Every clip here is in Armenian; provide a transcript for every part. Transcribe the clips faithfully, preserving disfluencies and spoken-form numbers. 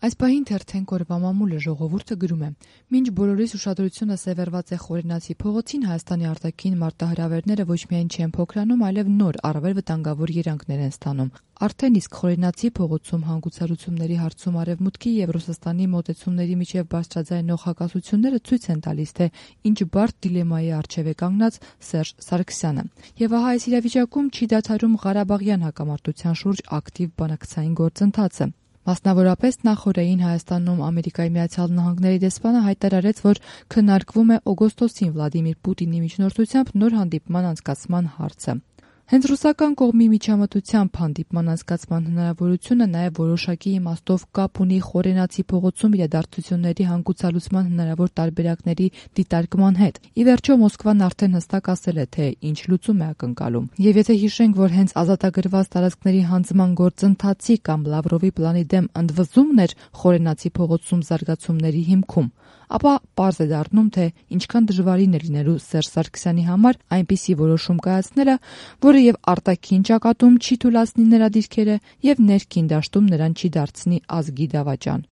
Այս պահին թերթենք օրվա մամուլը ժողովուրդը գրում է. մինչ բոլորիս ուշադրությունը սևեռված է Խորենացի փողոցին, Հայաստանի արտաքին մարտահրավերները ոչ միայն չեն փոքրանում, այլև նոր, առավել վտանգավոր երանգներ են ստանում։ Արդեն իսկ Խորենացի փողոցում հանգուցալուծումների հարցում Արևմուտքի եւ Ռուսաստանի մոտեցումների միջև բարձրաձայնող հակասությունները ցույց են տալիս, թե ինչ բարդ դիլեմայի առջև է կանգնած Սերժ Սարգսյանը։ Եվ ահա այս իրավիճակում չի դադարում Ղարաբաղյան հակամարտության շուրջ ակտիվ բանակցային գործընթացը։ Մասնավորապես նախօրեին Հայաստանում Ամերիկայի Միացյալ Նահանգների դեսպանը հայտարարեց, որ քննարկվում է օգոստոսին Վլադիմիր Պուտինի միջնորդությամբ նոր հանդիպման անցկացման հարցը։ Հենց ռուսական կողմի միջամտությամբ հանդիպման անցկացման հնարավորությունը նաև որոշակի իմաստով կապ ունի Խորենացի փողոցում իրադարձությունների հանգուցալուծման հնարավոր տարբերակների դիտարկման հետ։ Ի վերջո Մոսկվան արդեն հստակ ասել է, թե ինչ լուծում է ակնկալում։ Եվ եթե հիշենք, որ հենց ազատագրված տարածքների հանձնման գործընթացի կամ Լավրովի պլանի դեմ ընդվզումն էր Խորենացի փողոցում զարգացումների հիմքում, ապա պարզ է դառնում, թե ինչքան դժվարին է լինելու Սերժ Սարգսյանի համար այնպիսի որոշում կայացնելը, որը եւ արտաքին ճակատում չի թուլացնի նրա դիրքերը եւ ներքին դաշտում նրան չի դարձնի ազգի դավաճան։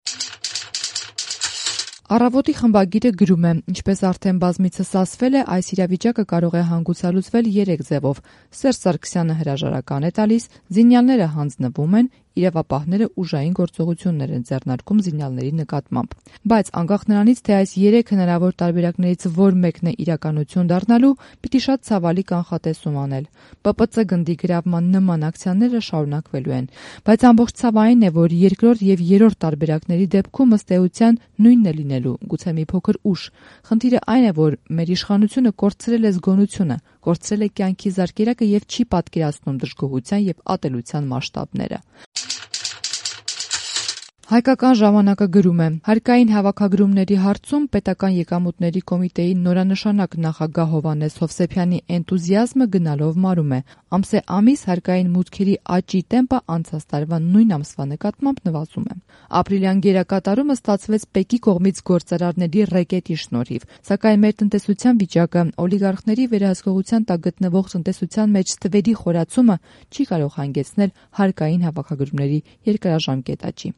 Առավոտի խմբագիրը գրում է. ինչպես արդեն բազմիցս ասվել է, այս իրավիճակը կարող է հանգուցալուծվել երեք ձևով։ Սերժ Սարգսյանը հրաժարական է տալիս, զինյալները հանձնվում են, իրավապահները ուժային գործողություններ են ձեռնարկում զինյալների նկատմամբ։ Բայց անկախ նրանից, թե այս երեք հնարավոր տարբերակներից որ մեկն է իրականություն դառնալու, պիտի շատ ցավալի կանխատեսում անել։ Պ Պ Ց գնդի գրավման նման ակցիաները շարունակվելու են, բայց ամբողջ ցավը այն է, որ երկրորդ եւ երրորդ տարբերակների դեպքում ըստ էության նույնն է լինելու, գուցե մի փոքր ուշ։ Խնդիրը այն է, որ մեր իշխանությունը կորցրել է զգոնությունը, կորցրել է կյանքի զարկերակը եւ չի պատկերացնում դժգոհության եւ ատելության մասշտաբները։ Հայկական ժամանակը գրում է. հարկային հավաքագրումների հարցում պետական եկամուտների կոմիտեի նորանշանակ նախագահ Հովհաննես Հովսեփյանի էնտուզիազմը գնալով մարում է։ Ամսե ամիս հարկային մուտքերի աճի տեմպը անցած տարվա նույն ամսվա նկատմամբ նվազում է։ Ապրիլյան գերակատարումը ստացվեց ՊԵԿ-ի կողմից գործարարների ռեկետի շնորհիվ, սակայն մեր տնտեսության վիճակը, օլիգարխների վերահսկողության տակ գտնվող տնտեսության մեջ ստվերի խորացումը չի կարող հանգեցնել հարկային հավաքագրումների երկարաժամկետ աճի։